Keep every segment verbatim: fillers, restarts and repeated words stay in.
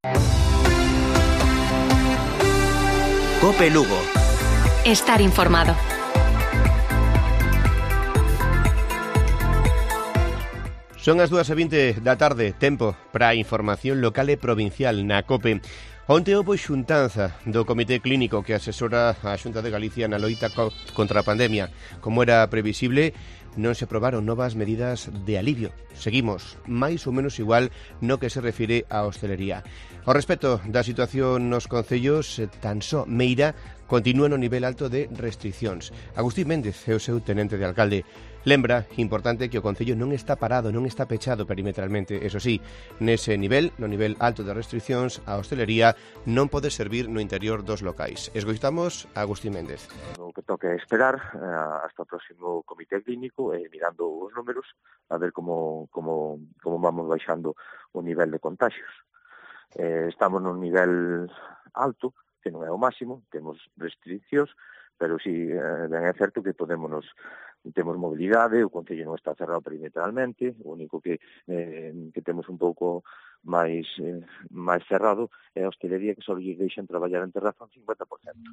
COPE Lugo. Estar informado. Son as dúas e vinte da tarde, tempo para a información local e provincial na COPE. Onte houbo xuntanza do Comité Clínico que asesora a Xunta de Galicia na loita co contra a pandemia. Como era previsible, non se aprobaron novas medidas de alivio. Seguimos máis ou menos igual no que se refire á hostelería. Ao respecto da situación nos concellos, tan só Meira continúa no nivel alto de restriccións. Agustín Méndez é o seu tenente de alcalde. Lembra, importante, que o concello non está parado, non está pechado perimetralmente. Eso sí, nese nivel, no nivel alto de restriccións, a hostelería non pode servir no interior dos locais. Escoitamos a Agustín Méndez. O que toca é esperar uh, hasta o próximo comité clínico e eh, mirando os números a ver como, como, como vamos baixando o nivel de contagios. Eh, estamos nun nivel alto, que non é o máximo, temos restriccións, pero si eh, ben é certo que podemos temos mobilidade, o concello non está cerrado perimetralmente, o único que eh, que temos un pouco máis eh, máis cerrado é a hostelería, que só lles deixan traballar en terraza un cincuenta por cento.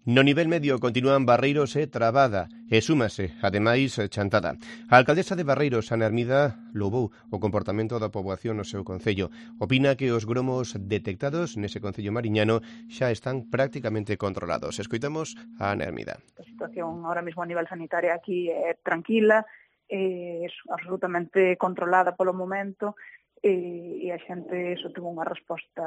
No nivel medio continúan Barreiros e Trabada e súmase, ademais, Chantada. A alcaldesa de Barreiros, Ana Hermida, loubou o comportamento da poboación no seu concello. Opina que os gromos detectados nese concello mariñano xa están prácticamente controlados. Escoitamos a Ana Hermida. A situación ahora mesmo a nivel sanitario aquí é tranquila, é absolutamente controlada polo momento e a xente só tuvo unha resposta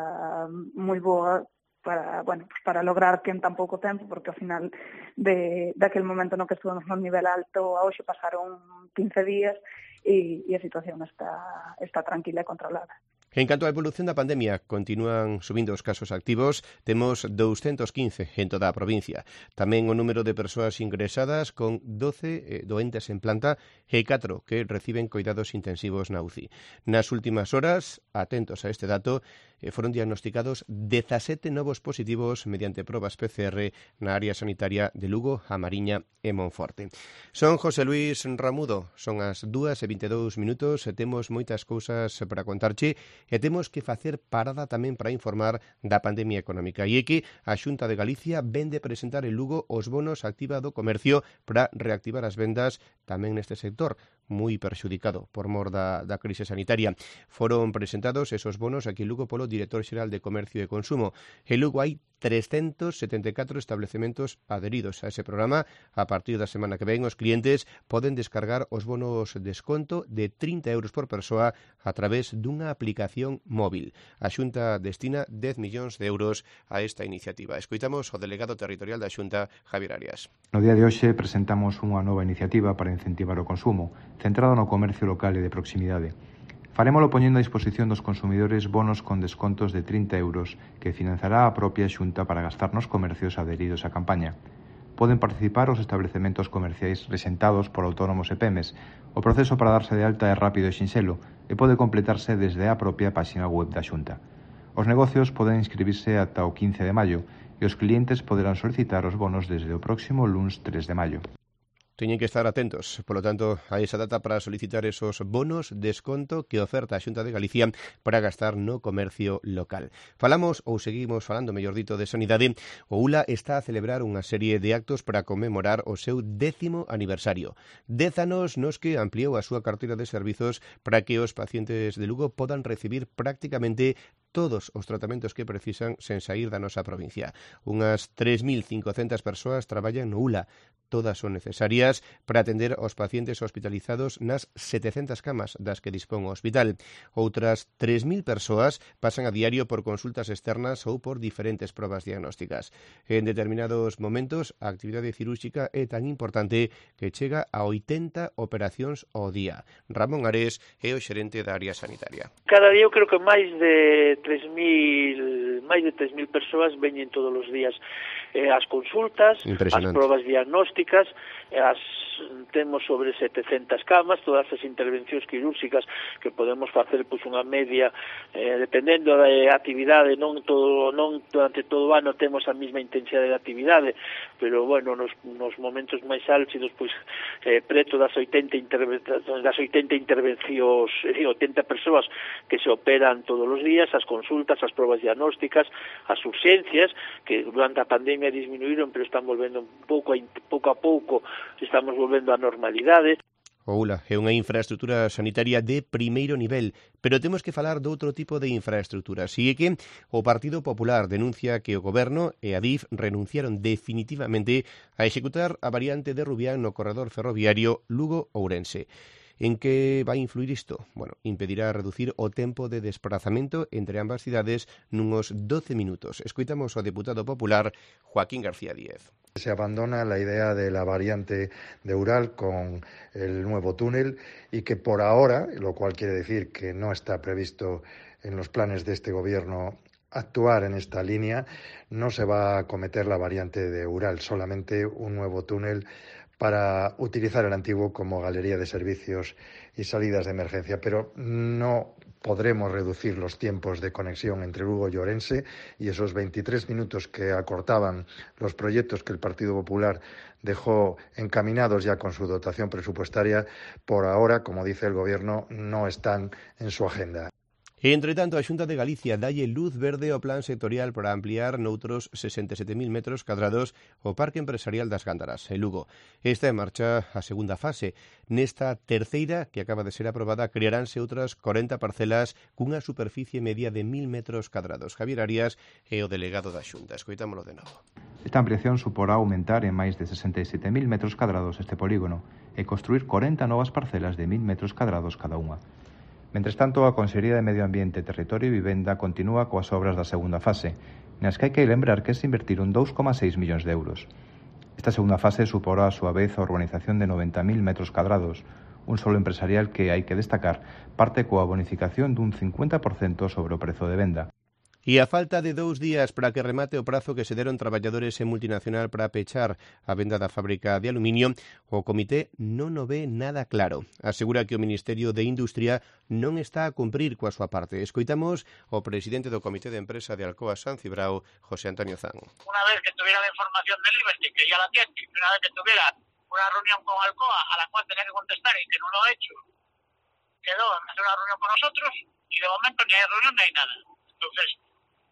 moi boa para, bueno, pues para lograr que en tan pouco tempo, porque ao final de daquel momento no que estuvemos no nivel alto a hoxe pasaron quince días e, e a situación está, está tranquila e controlada. En canto á evolución da pandemia, continúan subindo os casos activos, temos doscientos quince en toda a provincia. Tamén o número de persoas ingresadas con doce eh, doentes en planta e catro que reciben coidados intensivos na U C I. Nas últimas horas, atentos a este dato, eh, foron diagnosticados dezasete novos positivos mediante probas P C R na área sanitaria de Lugo, A Mariña e Monforte. Son José Luis Ramudo, son as dúas e vinte e dous minutos e temos moitas cousas para contarche e temos que facer parada tamén para informar da pandemia económica. E é que a Xunta de Galicia vende presentar en Lugo os bonos activa do comercio para reactivar as vendas tamén neste sector, moi perxudicado por mor da, da crise sanitaria. Foron presentados esos bonos aquí en Lugo polo Director Xeral de Comercio e Consumo. En Lugo hai trescentos setenta e catro establecementos adheridos a ese programa. A partir da semana que ven, os clientes poden descargar os bonos desconto de trinta euros por persoa a través dunha aplicación móvil. A Xunta destina dez millóns de euros a esta iniciativa. Escoitamos o delegado territorial da Xunta, Javier Arias. No día de hoxe presentamos unha nova iniciativa para incentivar o consumo, centrado no comercio local e de proximidade. Farémolo poñendo a disposición dos consumidores bonos con descontos de trinta euros que financiará a propia Xunta para gastar nos comercios adheridos á campaña. Poden participar os establecementos comerciais rexentados por autónomos e pemes. O proceso para darse de alta é rápido e sinxelo e pode completarse desde a propia páxina web da Xunta. Os negocios poden inscribirse ata o quince de maio e os clientes poderán solicitar os bonos desde o próximo luns tres de maio. Teñen que estar atentos, polo tanto, a esa data para solicitar esos bonos desconto que oferta a Xunta de Galicia para gastar no comercio local. Falamos, ou seguimos falando, mellor dito, de sanidade. O U L A está a celebrar unha serie de actos para conmemorar o seu décimo aniversario. Dez anos nos que ampliou a súa carteira de servizos para que os pacientes de Lugo podan recibir prácticamente todos os tratamentos que precisan sen sair da nosa provincia. Unhas tres mil cincocentas persoas traballan no U L A. Todas son necesarias para atender aos pacientes hospitalizados nas setecentas camas das que dispón o hospital. Outras tres mil persoas pasan a diario por consultas externas ou por diferentes probas diagnósticas. En determinados momentos, a actividade cirúrxica é tan importante que chega a oitenta operacións ao día. Ramón Ares é o xerente da área sanitaria. Cada día eu creo que máis de tres mil máis de tres mil persoas veñen todos os días eh, as consultas, as probas diagnósticas, as temos sobre setecentas camas, todas as intervencións quirúrxicas que podemos facer pois unha media eh, dependendo da actividade, non todo non durante todo o ano temos a mesma intensidade de actividade, pero bueno, nos, nos momentos máis álxidos pois eh, preto das oitenta intervencións das oitenta intervencións, eh, oitenta persoas que se operan todos os días, as consultas, as probas diagnósticas, as urxencias, que durante a pandemia disminuíron, pero están volvendo pouco a, pouco a pouco, estamos volvendo á normalidade. O U L A é unha infraestructura sanitaria de primeiro nivel, pero temos que falar de outro tipo de infraestructura. Sigue que o Partido Popular denuncia que o Goberno e a D I F renunciaron definitivamente a executar a variante de Rubián no corredor ferroviario Lugo-Ourense. En que vai influir isto? Bueno, impedirá reducir o tempo de desplazamento entre ambas cidades nuns doce minutos. Escoitamos ao deputado popular Joaquín García Díez. Se abandona la idea de la variante de Ural con el nuevo túnel y que por ahora, lo cual quiere decir que no está previsto en los planes de este gobierno actuar en esta línea, no se va a acometer la variante de Ural, solamente un nuevo túnel para utilizar el antiguo como galería de servicios y salidas de emergencia, pero no podremos reducir los tiempos de conexión entre Lugo y Ourense y esos veintitrés minutos que acortaban los proyectos que el Partido Popular dejó encaminados ya con su dotación presupuestaria, por ahora, como dice el Gobierno, no están en su agenda. Entre tanto, a Xunta de Galicia dalle luz verde ao plan sectorial para ampliar noutros sesenta e sete mil metros cadrados o Parque Empresarial das Gándaras, en Lugo. Está en marcha a segunda fase. Nesta terceira, que acaba de ser aprobada, crearánse outras corenta parcelas cunha superficie media de mil metros cadrados. Javier Arias é o delegado da Xunta. Escoitámolo de novo. Esta ampliación suporá aumentar en máis de sesenta e sete mil metros cadrados este polígono e construir corenta novas parcelas de mil metros cadrados cada unha. Mentres tanto, a Consellería de Medio Ambiente, Territorio e Vivenda continúa coas obras da segunda fase, nas que hai que lembrar que se invertiron dous coma seis millóns de euros. Esta segunda fase suporá a súa vez a urbanización de noventa mil metros cadrados, un solo empresarial que, hai que destacar, parte coa bonificación dun cincuenta por cento sobre o prezo de venda. E a falta de dous días para que remate o prazo que se deron traballadores en multinacional para pechar a venda da fábrica de aluminio, o comité non o ve nada claro. Asegura que o Ministerio de Industria non está a cumprir coa súa parte. Escoitamos o presidente do Comité de Empresa de Alcoa San Cibrao, José Antonio Zan. Una vez que tuviera la información de Liberty, que ya la tiene, una vez que tuviera una reunión con Alcoa a la cual tenía que contestar y que no lo ha hecho, quedó en hacer una reunión con nosotros y de momento ni hay reunión ni hay nada. Entonces,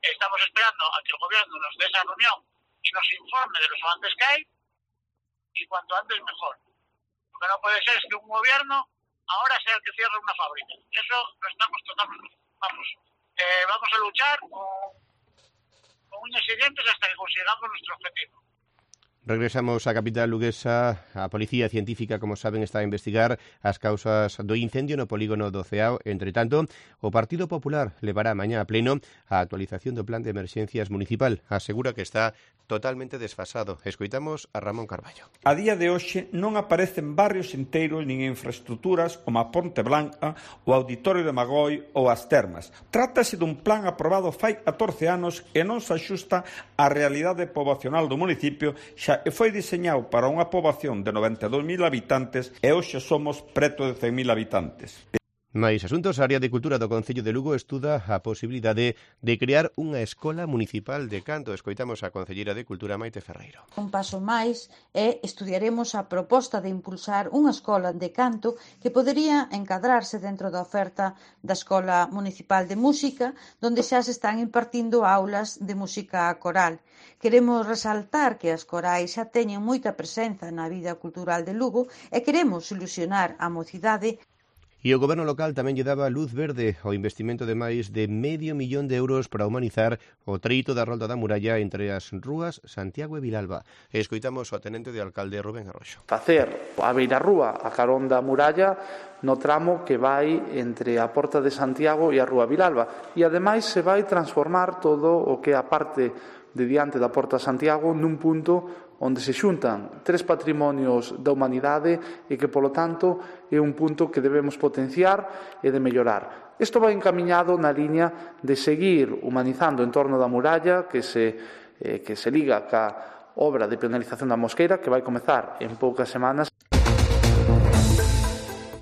estamos esperando a que el gobierno nos dé esa reunión y nos informe de los avances que hay y cuanto antes mejor. Lo que no puede ser es que un gobierno ahora sea el que cierre una fábrica. Eso lo estamos totalmente. Vamos, eh, vamos a luchar con, con uñas y dientes hasta que consigamos nuestro objetivo. Regresamos á capital luguesa. A Policía Científica, como saben, está a investigar as causas do incendio no polígono do Ceao. Entre tanto, o Partido Popular levará mañá a pleno a actualización do plan de emerxencias municipal. Asegura que está totalmente desfasado. Escoitamos a Ramón Carballo. A día de hoxe non aparecen barrios inteiros nin infraestructuras como a Ponte Blanca, o Auditorio de Magoi ou as Termas. Trátase dun plan aprobado fai catorce anos e non se axusta á realidade poboacional do municipio, xa e foi diseñado para unha poboación de noventa e dous mil habitantes e hoxe somos preto de cen mil habitantes. Mais asuntos, a área de cultura do Concello de Lugo estuda a posibilidade de crear unha escola municipal de canto. Escoitamos a concelleira de Cultura, Maite Ferreiro. Un paso máis e estudiaremos a proposta de impulsar unha escola de canto que podería encadrarse dentro da oferta da Escola Municipal de Música, donde xa se están impartindo aulas de música coral. Queremos resaltar que as corais xa teñen moita presenza na vida cultural de Lugo e queremos ilusionar a mocidade. E o Goberno local tamén lle daba luz verde ao investimento de máis de medio millón de euros para humanizar o treito da Rolda da Muralla entre as rúas Santiago e Vilalba. Escoitamos o tenente de alcalde Rubén Arroxo. Facer a beirarrúa a carón da muralla no tramo que vai entre a Porta de Santiago e a Rúa Vilalba. E ademais se vai transformar todo o que é a parte de diante da Porta Santiago nun punto onde se xuntan tres patrimonios da humanidade e que, polo tanto, é un punto que debemos potenciar e de mellorar. Isto vai encamiñado na liña de seguir humanizando en torno da muralla que se, eh, que se liga ca obra de penalización da Mosqueira que vai comezar en poucas semanas.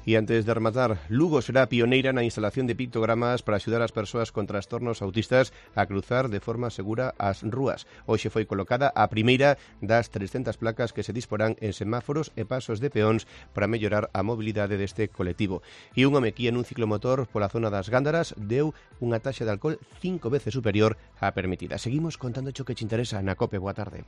E antes de rematar, Lugo será pioneira na instalación de pictogramas para axudar as persoas con trastornos autistas a cruzar de forma segura as rúas. Hoxe foi colocada a primeira das trescentas placas que se disporán en semáforos e pasos de peóns para mellorar a mobilidade deste colectivo. E un home que nun ciclomotor pola zona das Gándaras deu unha taxa de alcohol cinco veces superior á permitida. Seguimos contando o que te interesa na COPE. Boa tarde.